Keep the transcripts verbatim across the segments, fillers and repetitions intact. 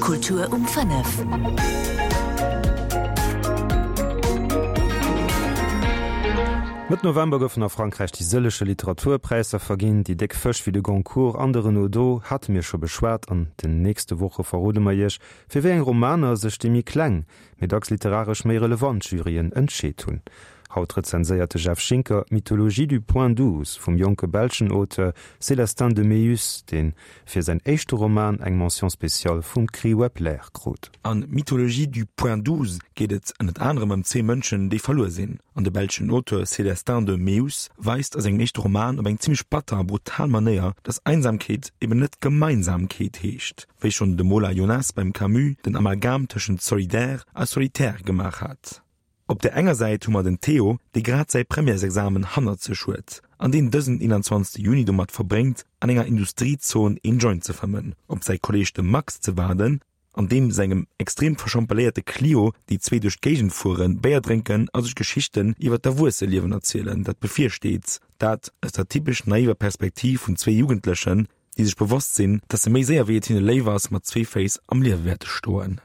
Kultur um fënnef. Mëtt November goufen a Frankräich déi sëllege Literaturpräisser verginn. Déi déck Fësch wéi de Goncourt an de Renaudot hate mir scho beschwat. An den nächste Woche verrode mer iech, fir wéi eng Romaner sech déi méi kleng, mee dacks literaresch méi relevant Juryen entscheet hunn. Haut rezenséiert de Jeff Schinker Mythologie du point douze vum jonke belschen Auteur Célestin de Meeus, dee fir säin éischte Roman eng Mention spéciale vum Prix Wepler krut. An Mythologie du point douze geet et ënnert anerem ëm zwee Mënschen, déi verluer sinn. An de belschen Auteur Célestin de Meeus weist a sengem éischte Roman op eng zimmlech batter a brutal Manéier, dass Einsamkeet eben net Gemeinsamkeet heescht, wéi schonn de Mola Jonas beim Camus den Amalgam tëschent solidaire a solitaire gemaach hat. Op der enger Säit hu mer den Theo, dee grad säi Premièresexamen hannert sech huet an deen dësen eenanzwanzegste Juni domat verbréngt, an enger Industriezon een Joint ze fëmmen, op säi Kolleeg de Max ze waarden, an deem sengem extrem verschampeléierte Clio déi zwee duerch d'Géigend fueren, Béier drénken a sech Geschichten iwwer d'Erwuesseliewen erzielen, dat bevirsteet, dat aus der typesch naiver Perspektiv vun zwee Jugendlechen, déi sech bewosst sinn, dass se méi séier wéi et hinne léif ass, mat zwee Féiss am Liewe wäerte stoen.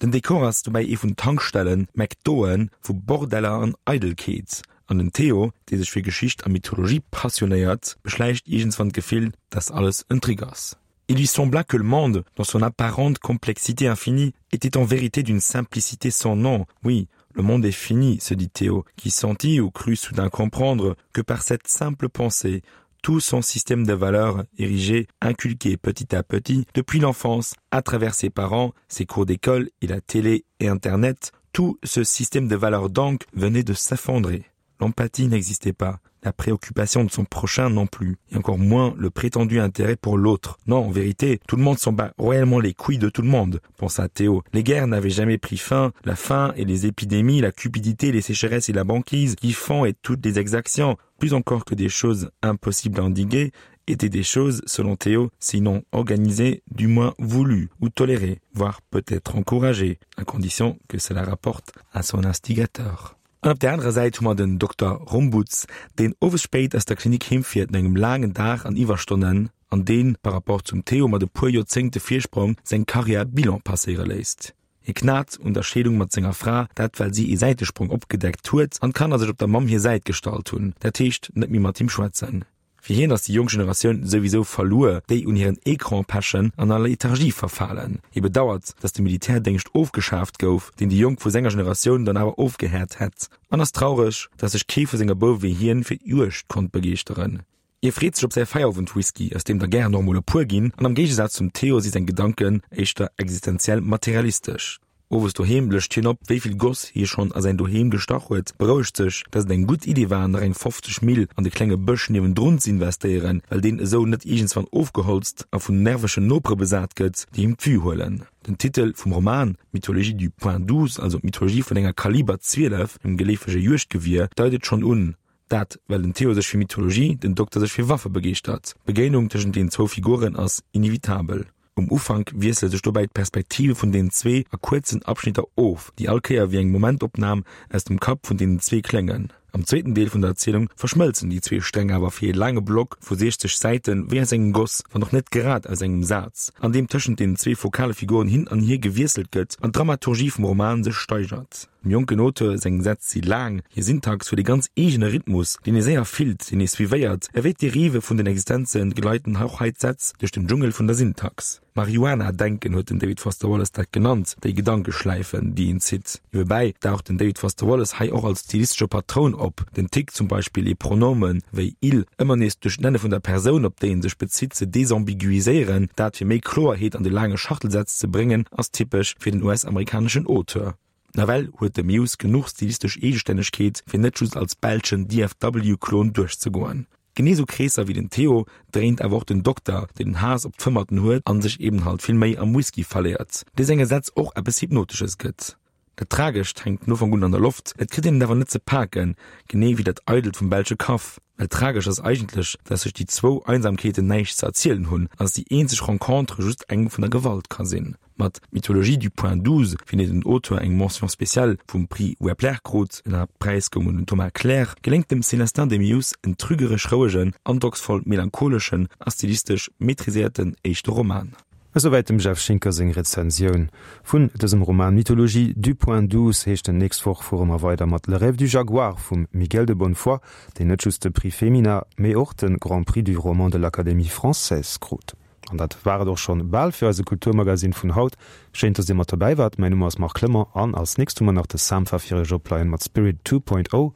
Den Dekor ass dobäi ee vun Tankstellen, McDoen, vu Bordeller an Eidelkeet. An den Theo, dee sech fir Geschicht a Mythologie passionéiert, beschläicht iergendswann d'Gefill, dass alles en Trick ass. Il lui sembla que le monde, dans son apparente complexité infinie, était en vérité d'une simplicité sans nom. Oui, le monde est fini, se dit Théo, qui sentit ou crut soudain comprendre que par cette simple pensée, tout son système de valeurs érigé, inculqué petit à petit depuis l'enfance, à travers ses parents, ses cours d'école et la télé et internet, tout ce système de valeurs donc venait de s'effondrer. L'empathie n'existait pas, la préoccupation de son prochain non plus, et encore moins le prétendu intérêt pour l'autre. Non, en vérité, tout le monde s'en bat royalement les couilles de tout le monde, pensa Théo. Les guerres n'avaient jamais pris fin, la faim et les épidémies, la cupidité, les sécheresses et la banquise, qui font et toutes les exactions, plus encore que des choses impossibles à endiguer, étaient des choses, selon Théo, sinon organisées, du moins voulues ou tolérées, voire peut-être encouragées, à condition que cela rapporte à son instigateur. An op der anerer Säit hu mer den Dokter Rombouts, deen owes spéit aus der Klinik heemfiert no engem laangen Dag an Iwwerstonnen an deen, par rapport zum Theo mat e puer Joerzéngte Virsprong, seng Karriär Bilan passéiere léisst. Hie knat un der Scheedung mat senger Fra, dat well si ee Säitesprong opgedeckt huet an d'Kanner sech op der Mamm hir Säit gestallt hunn, dat heescht net méi mat him schwätzen. Fir hien ass déi jonk Generatioun souwisou verluer, déi un hiren Ecran pechen an a Lethargie verfalen. Hie bedauert, datt de Militärdéngscht ofgeschaaft gouf, deen déi Jonk vu senger Generatioun dann awer ofgehäert hätt, an ass traureg, datt sech kee vu senge Bouwe wéi hien fir d'Juegd konnt begeeschteren. Hie freet sech op säi Feierowend-Whisky, aus deem der gären och mol e puer ginn, an am Géigesaz zum Theo si seng Gedanken éischter existenziell materialistesch. Owes doheem lëscht hien op, wéi vill Goss hie schonn a säin Doheem gestach huet, berouegt sech, dass et eng gutt Iddi war, nach eng fofzeg Mille an de klenge Bësch niewendrun z'investéieren, well deen esou net iergendswann ofgeholzt a vun nervegen Nopere besat gëtt, déi him d'Vue huelen. Den Titel vum Roman, Mythologie du point douze, also d'Mythologie vun enger Kaliber zwielef, engem geleefege Juegdgewier, deit et schonn un. Dat, well den Theo sech fir Mythologie, den Dokter sech fir Waffe begeeschtert. D'Begéinung tëschent deenen zwou Figuren ass inevitabel. Um Ufank wiessele sech dobäi d'Perspektive vun deenen zwee a kuerzen Abschnitter of, déi all Kéier wéi eng Momentopnam aus dem Kapp vun deenen zwee kléngen. Am zweeten Deel vun der Erzielung verschmëlzen déi zwee Sträng awer fir ee laange Block vu siechzeg Säite wéi aus engem Goss, wann och net grad aus engem Saz, an deem tëschent deenen zwee fokale Figuren hin an hier gewiesselt gëtt an d'Dramaturgie vum Roman sech steigert. Dem jonken Auteur seng Sätz si laang, hir Syntax huet e ganz eegene Rhythmus, deen ee séier fillt, deen ee suivéiert. Ewéi d'Derive vun den Existenze gleiten och hei d'Sätz duerch den Dschungel vun der Syntax. Marihuana-Denken huet den David Foster Wallace dat genannt, déi Gedankeschläifen, déi een zitt. Niewebäi daucht den David Foster Wallace hei och als stilistesche Patroun op, den Tic zum Beispill ee Pronomen wéi il ëmmer nees duerch d'Nenne vun der Persoun, op déi en sech bezitt, ze desambiguiséieren, dat fir méi Kloerheet an de laange Schachtelsätz ze bréngen, ass typesch fir den U S-amerikaneschen Auteur. Nawell huet de Mewes genuch stilistesch Eegestännegkeet, fir net just als belschen D F W-Klon duerchzegoen. Genee sou Kreesser wéi den Theo dréint awer och den Dokter, deen den Haass op d'Fëmmerten huet an sech eben halt vill méi am Whisky verléiert, dee senge Sätz och eppes Hypnotesches gëtt. Dat Tragescht hänkt vun Ufank un an der Loft, et kritt een et awer net ze paken, genee wéi dat Eidelt vum belsche Kaff. Well tragesch ass eigentlech, dass sech déi zwou Einsamkeeten näischt ze erzielen hunn an dass déi eenzeg Rencontre just eng vun der Gewalt ka sinn. Mat Mythologie du point douze, fir déi den Auteur eng Mention spéciale vum Prix Wepler krut, den Haaptpräis goung un den Thomas Clare, geléngt dem Célestin Demius en trügeresch rouegen, androcksvoll melancholeschen a stilistesch maîtriséierten éischte Roman. Esouwäit dem Jeff Schinker seng Rezensioun vun dësem Roman Mythologie du point douze heescht en. Nächst Woch fuere mer weider mat Le rêve du jaguar vum Miguel de Bonnefoy, deen net just de Prix Femina, mee och de Grand Prix du roman de l'Académie française krut. An dat war et och schonn bal fir eise Kulturmagazin vun haut. Schéin, dass Dir mat dobäi waart. Mäin Numm ass Marc Clement an als nächst hu mer nach de Sampha fir Iech opleien mat Spirit two point oh.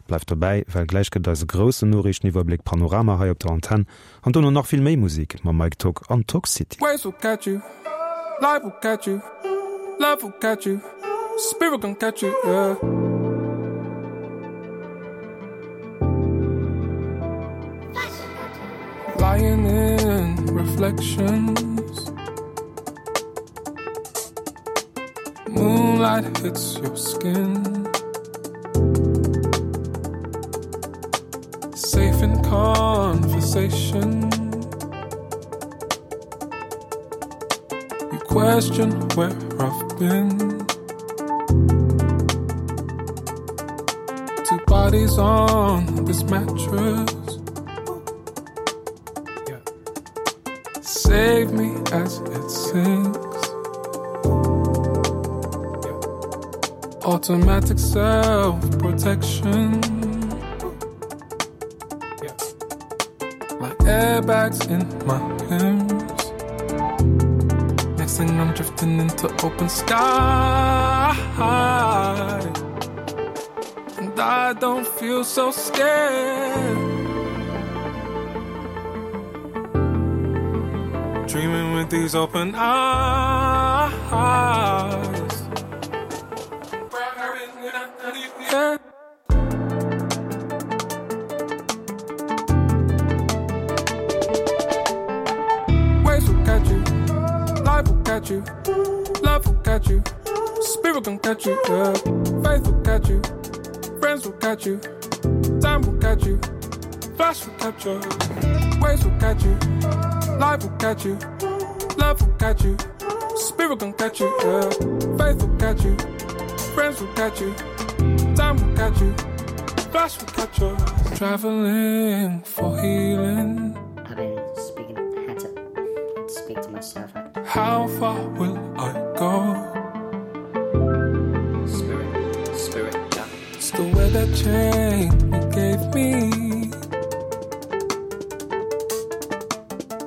Bleift dobäi, well gläich gëtt et eise groussen Noriichteniwwerbléck Panorama hei op der Antenn an dono nach vill méi Musek mam Mike Tock an Tock City. Waves will catch you, life will catch you, love will catch you, spirit gon' catch you, yeah. Lying in reflections, moonlight hits your skin. Safe in conversation. You question where I've been. Two bodies on this mattress. Yeah. Save me as it sinks. Yeah. Automatic self-protection. Yeah. Like airbags in my limbs. Next thing I'm drifting into open sky. And I don't feel so scared. Dreaming with these open eyes. Yeah. Waves will catch you, life will catch you, love will catch you, spirit gon' catch you, yeah. Faith will catch you, friends will catch you, time will catch you, flash will catch you, waves will catch you, life will catch you, love will catch you, spirit gon' catch you, yeah. Faith will catch you, friends will catch you, time will catch you, flash will catch you. Traveling for healing. I've been speaking, had to speak to myself. How far will I go? Spirit, spirit, yeah. It's the way that chain you gave me.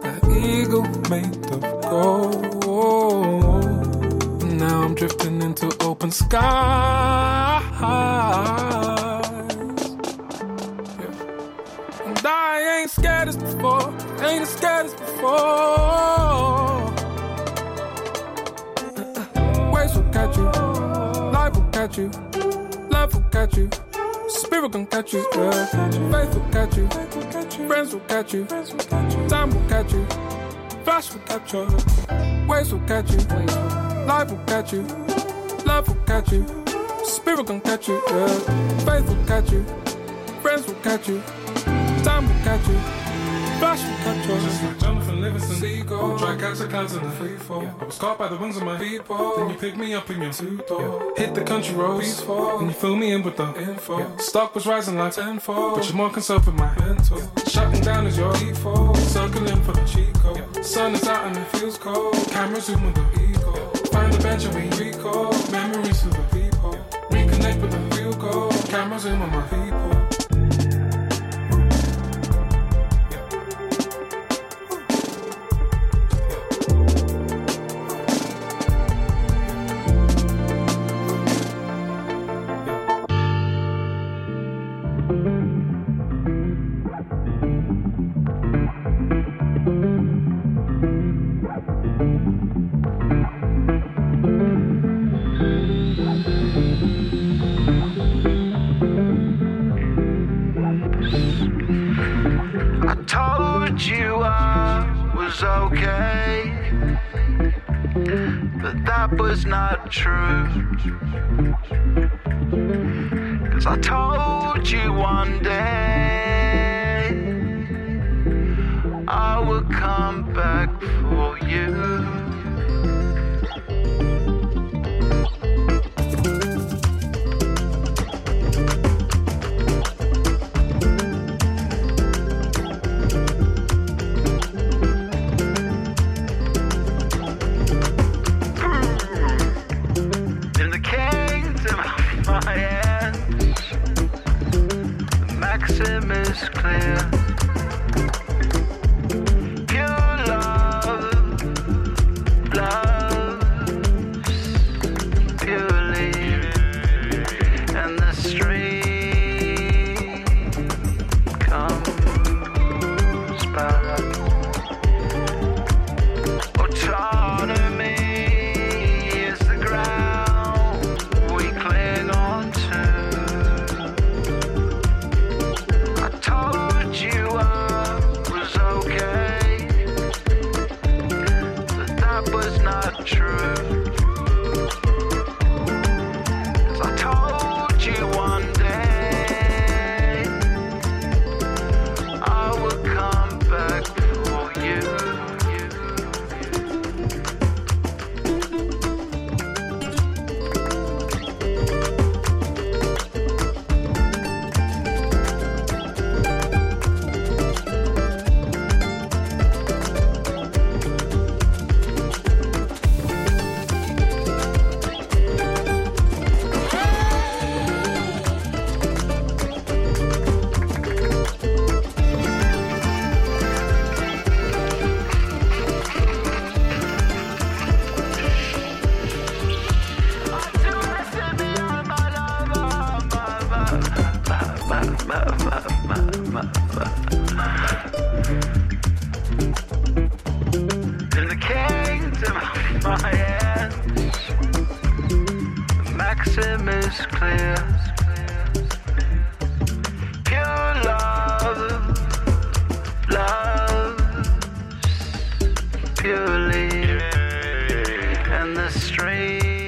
That eagle made of gold. Now I'm drifting into open skies. Yeah. And I ain't scared as before, ain't as scared as before. Waves will catch you, life will catch you, love will catch you, spirit gon' catch you, yeah. Faith will catch you, friends will catch you, time will catch you, flash will catch you, waves will catch you, life will catch you, love will catch you, spirit gon' catch you, yeah. Faith will catch you, friends will catch you, time will catch you, flash will catch you. Just like Jonathan Livingston, Seagull, try catch the clouds in the free fall. Yeah. I was caught by the wings of my people. Then you picked me up in your two-door. Yeah. Hit the country roads, peaceful. Then you fill me in with the info. Yeah. Stock was rising like tenfold, but you're more concerned with my mental. Yeah. Shutting down is your default. Circling for the Chico. Yeah. Sun is out and it feels cold. Camera zoom with the ego. Yeah. Find the bench and we recall memories of the people. Yeah. Reconnect with the real goal. Camera zoom on my people. I told you I was okay, but that was not true. 'Cause I told you one day I would come back for you. The maxim is clear. Pure love loves purely, and the strange